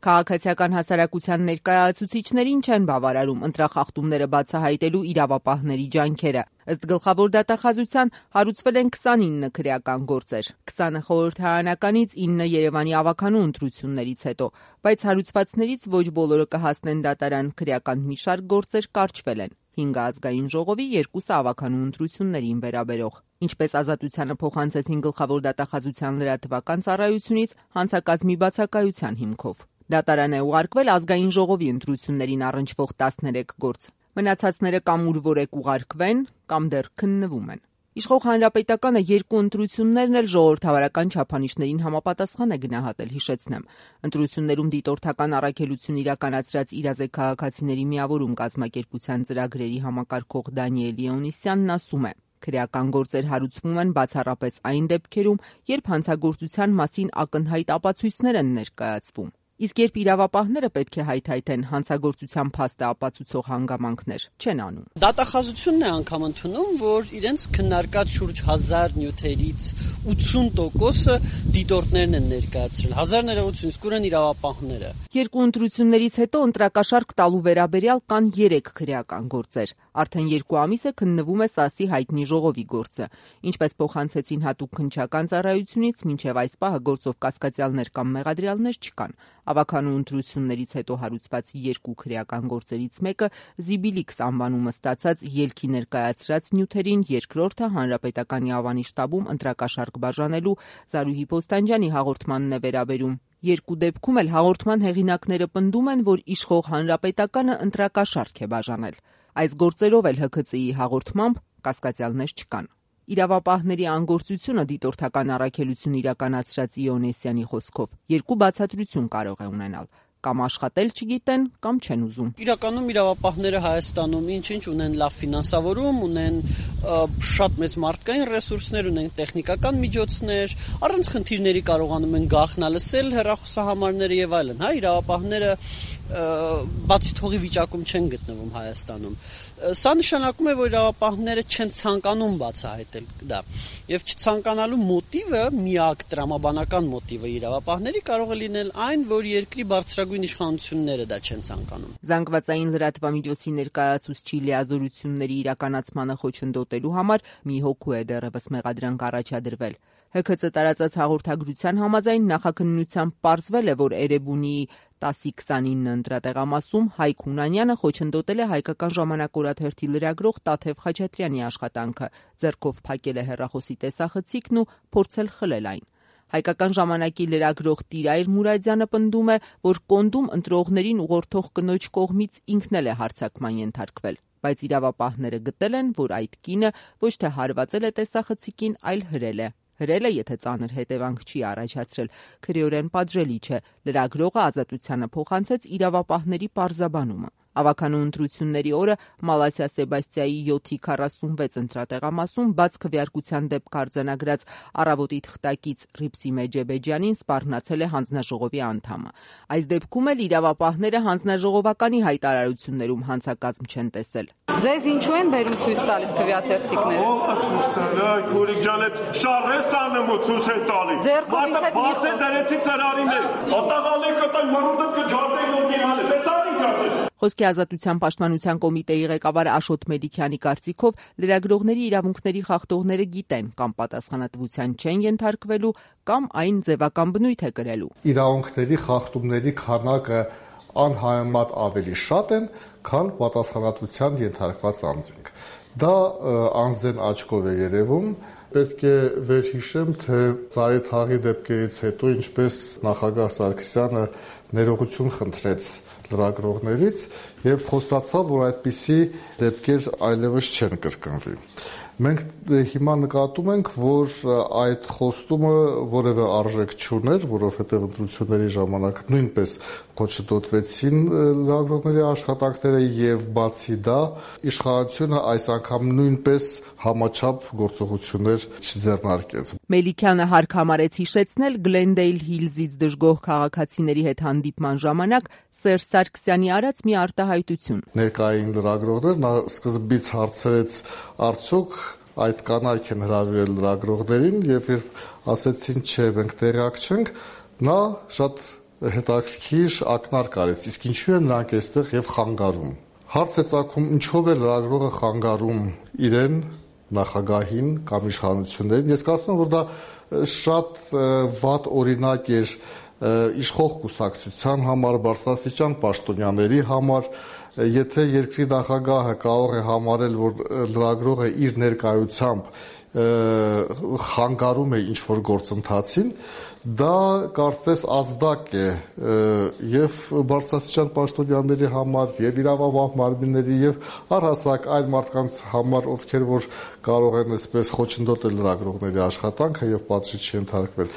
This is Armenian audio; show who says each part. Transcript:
Speaker 1: Քաղաքացիական հասարակության ներկայացուցիչներին չեն բավարարում ընտրախախտումները բացահայտելու իրավապահների ջանքերը։ Ըստ գլխավոր դատախազության հարուցվել են 29 քրեական գործեր, 20 խորհրդարանականից 9 Երևանի ավագանու ընտրություններից հետո, բայց հարուցվածներից ոչ բոլորը կհասնեն դատարան, քրեական մի շարք գործեր կարճվել են։ 5 ազգային ժողովի, 2 ավագանու ընտրություններին վերաբերող։ Ինչպես Ազատությանը փոխանցեցին գլխավոր դատախազության լրատվական ծառայությունից հանցակազմի բացակայության հիմքով։ Դատարան է ուղարկվել ազգային ժողովի ընտրություններին առնչվող 13 գործ։ Մնացածները կամ ուրվորեք ուղարկվեն, կամ դեռ քննվում են։ Իշխող Հանրապետականը 2 ընտրություններն էլ ժողովրդավարական չափանիշներին համապատասխան է գնահատել, հիշեցնեմ։ Ընտրություններում դիտորդական առաքելություն իրականացրած «Իրազեկ քաղաքացիների միավորում» կազմակերպության ծրագրերի համակարգող Դանիել Լեոնիսյանն ասում է. քրեական գործեր հարուցվում են բացառապես այն դեպքերում, երբ հանցագործության մասին ակնհայտ ապացույցներ են ներկայացվում։ Իսկ երբ իրավապահները պետք է հայթայթեն հանցագործության փաստը ապացուցող հանգամանքներ, չեն անում։
Speaker 2: Դատախազությունն է անգամ ընդունում, որ իրենց քննարկած շուրջ 1000 նյութերից 80%-ը դիտորդներն են ներկայացրել, 1000 ներողություն, իսկ ուր են իրավապահները։
Speaker 1: 2 ընտրություններից հետո ընտրակաշարք տալու վերաբերյալ կան 3 քրեական գործեր։ Արդեն 2 ամիս է քննվում է ՍԱՍ-ի հայտնի ժողովի գործը։ Ինչպես փոխանցեցին հատուկ քննչական ծառայությունից, մինչև այս պահը գործով կասկածյալներ կամ մեղադրյալներ չկան։ Ավագանու ընտրություններից հետո հարուցված 2 քրեական գործերից մեկը Զիբիլիքս անվանումը ստացած ելքի ներկայացրած նյութերին, երկրորդը Հանրապետականի Ավանի շտաբում ընտրակաշարք բաժանելու Զարուհի Պոստանջյանի հաղորդմանն է վերաբերում։ 2 դեպքում էլ հաղորդման հեղինակները պնդում են, որ իշխող Հանրապետականը ընտրակաշարք է բաժանել։ Այս գործերով էլ ՀՔԾ-ի հաղորդմամբ կասկածյալներ չկան։ Իրավապահների անգործությունը դիտորդական առաքելություն իրականացրած Իոնեսյանի խոսքով 2 բացատրություն կարող է ունենալ։ Կամ աշխատել չգիտեն, կամ չեն ուզում։
Speaker 2: Իրականում իրավապահները Հայաստանում ինչ ունեն լավ ֆինանսավորում, ունեն շատ մեծ մարդկային ռեսուրսներ, ունեն տեխնիկական միջոցներ, առանց խնդիրների կարողանում են գաղտնալսել հեռախոսահամարները եւ այլն, հա, իրավապահները բացի թողի վիճակում չեն գտնվում Հայաստանում։ Սա նշանակում է, որ իրավապահները չեն ցանկանում բացահայտել դա։ Եվ չցանկանալու մոտիվը, միակ տրամաբանական մոտիվը իրավապահների կարող է լինել այն, որ երկրի բարձրագույն իշխանությունները դա չեն ցանկանում։
Speaker 1: Զանգվածային լրատվամիջոցի ներկայացուցչի լիազորությունների իրականացմանը խոչընդոտելու համար մի հոգու է դեռևս մեղադրանք առաջադրվել։ ՀՔԾ տարածած հաղորդագրության համաձայն նախաքննությամբ պարզվել է, որ Էրեբունիի 10-29 ընտրատեղամասում Հայկ Հունանյանը խոչընդոտել է Հայկական ժամանակ օրաթերթի լրագրող Տաթև Խաչատրյանի աշխատանքը, ձեռքով փակել է հեռախոսի տեսախցիկն ու փորձել խլել այն։ Հայկական ժամանակի լրագրող Տիրայր Մուրադյանը պնդում է, որ կոնդում ընտրողներին ուղղորդող կնոջ կողմից ինքն էլ է հարձակման ենթարկվել, բայց իրավապահները գտել են, որ այդ կինը ոչ թե հարվածել է տեսախցիկին, այլ հրել է։ Հրելը, եթե ծանր հետևանք չի առաջացրել, քրեորեն պատժելի չէ։ Լրագրողը Ազատությանը փոխանցեց իրավապահների պարզաբանումը։ Ավագանու ընտրությունների օրը Մալաթիա Սեբաստիայի 7-46 ընտրատեղամասում բաց քվեարկության դեպք արձանագրած Առավոտի թղթակից Ռիփսի Մեջեբեջյանին սպառնացել է հանձնաժողովի անդամը։ Այս դեպքում էլ իրավապահները հանձնաժողովականի հայտարարություններում հանցակազմ չեն տեսել։
Speaker 3: Ձեզ ինչու են բերում ցույց տալիս քվեաթերթիկները։
Speaker 4: Քուրիկ ջան, այդ շարես աննմու ցույց են տալիս։
Speaker 3: Ձերքովից հետ
Speaker 4: բաց է դրեցի ծրարին է։ Ոտաղալեք կտան մռուտը կջարդեն ոնտիհանը։ Տեսարին ջարդեն։
Speaker 1: Խոսքի ազատության պաշտպանության կոմիտեի ղեկավար Աշոտ Մելիքյանի կարծիքով լրագրողների իրավունքների խախտողները գիտեն կամ պատասխանատվության չեն ենթարկվելու, կամ այն ձևական բնույթ է կրելու։
Speaker 5: Իրավունքների խախտումների քանակը անհամեմատ ավելի շատ են, քան պատասխանատվության ենթարկված անձինք։ Դա անձեն աչքով է երևում։ Պետք է վերհիշեմ, թե Զարեթաղի դեպքերից հետո ինչպես նախագահ Սարգսյանը ներողություն խնդրեց լրագրողներից եւ խոստացավ, որ այդպիսի դեպքեր այլևս չեն կրկնվի։ Մենք հիմա նկատում ենք, որ այդ խոստումը որևէ արժեք չուներ, որովհետև ընտրությունների ժամանակ նույնպես խոչընդոտվեցին լրագրողների աշխատանքները եւ բացի դա իշխանությունը այս անգամ նույնպես համաչափ գործողություններ չձեռնարկեց։
Speaker 1: Մելիքյանը հարկ համարեց հիշեցնել Գլենդեյլ Հիլզից դժգոհ քաղաքացիների հետ հանդիպման ժամանակ Սերժ Սարգսյանի արած մի արտահայտություն։
Speaker 5: Ներկային լրագրողներ նա սկզբից հարցրեց արդյոք այդ կանայք են հրավիրել լրագրողներին եւ երբ ասեցին չէ մենք տեղյակ չենք, նա շատ հետաքրքիր ակնարկ արեց, իսկ ինչու են նրանք այստեղ եւ խանգարում։ Հարց է ծագում, ինչով է լրագրողը խանգարում իրեն, նախագահին կամ իշխանություններին։ Ես կարծում եմ, որ դա շատ վատ օրինակ էր իշխող կուսակցության համար, բարձրաստիճան պաշտոնյաների համար, եթե երկրի նախագահը կարող է համարել, որ լրագրողը իր ներկայությամբ խանգարում է ինչ-որ գործընթացին, դա կարծես ազդակ է եւ բարձրաստիճան պաշտոնյաների համար, եւ իրավապահ մարմինների, եւ առհասարակ այլ մարդկանց համար, ովքեր որ կարող են այսպես խոչընդոտել լրագրողների աշխատանքը եւ պատժի չենթարկվել։